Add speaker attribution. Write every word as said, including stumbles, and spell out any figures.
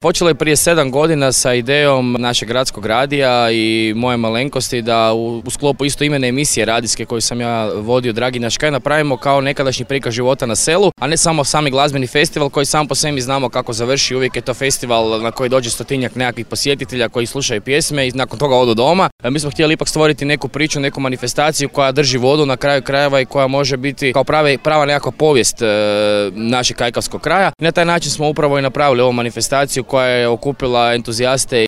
Speaker 1: Počelo je prije sedam godina sa idejom našeg gradskog radija i moje malenkosti da u, u sklopu istoimene emisije radijske koju sam ja vodio, Dragi naš kraj, napravimo kao nekadašnji prikaz života na selu, a ne samo sami glazbeni festival koji sam po sebi znamo kako završi. Uvijek je to festival na koji dođe stotinjak nekakvih posjetitelja koji slušaju pjesme i nakon toga odu doma. Mi smo htjeli ipak stvoriti neku priču, neku manifestaciju koja drži vodu na kraju krajeva i koja može biti kao prave, prava nekakva povijest e, našeg kajkavskog kraja. I na taj način smo upravo i napravili ovu manifestaciju koja je okupila entuzijaste